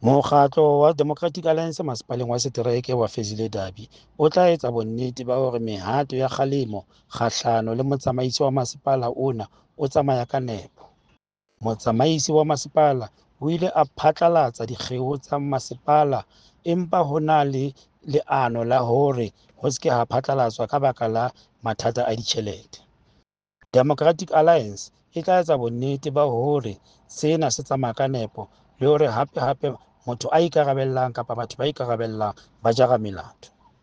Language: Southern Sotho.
Mokgatlo wa Democratic Alliance Masepaleng wa Setereke wa Fezile Dabi o tla etsa bonnete ba hore mehato ya kgalemo kgahlano le motsamaisi wa masepala ona o tsamaya ka nepo. Motsamaisi wa masepala o ile a phatlalatsa dikgeo tsa masepala empa ho na le leano la hore ho se ke ha phatlalatswa ka baka la mathata a ditjhelete. Democratic Alliance e tla etsa bonnete ba hore sena se tsamaya ka nepo le hore hape hape motho a ikarabellang kapa batho ba ikarabellang ba jara melato.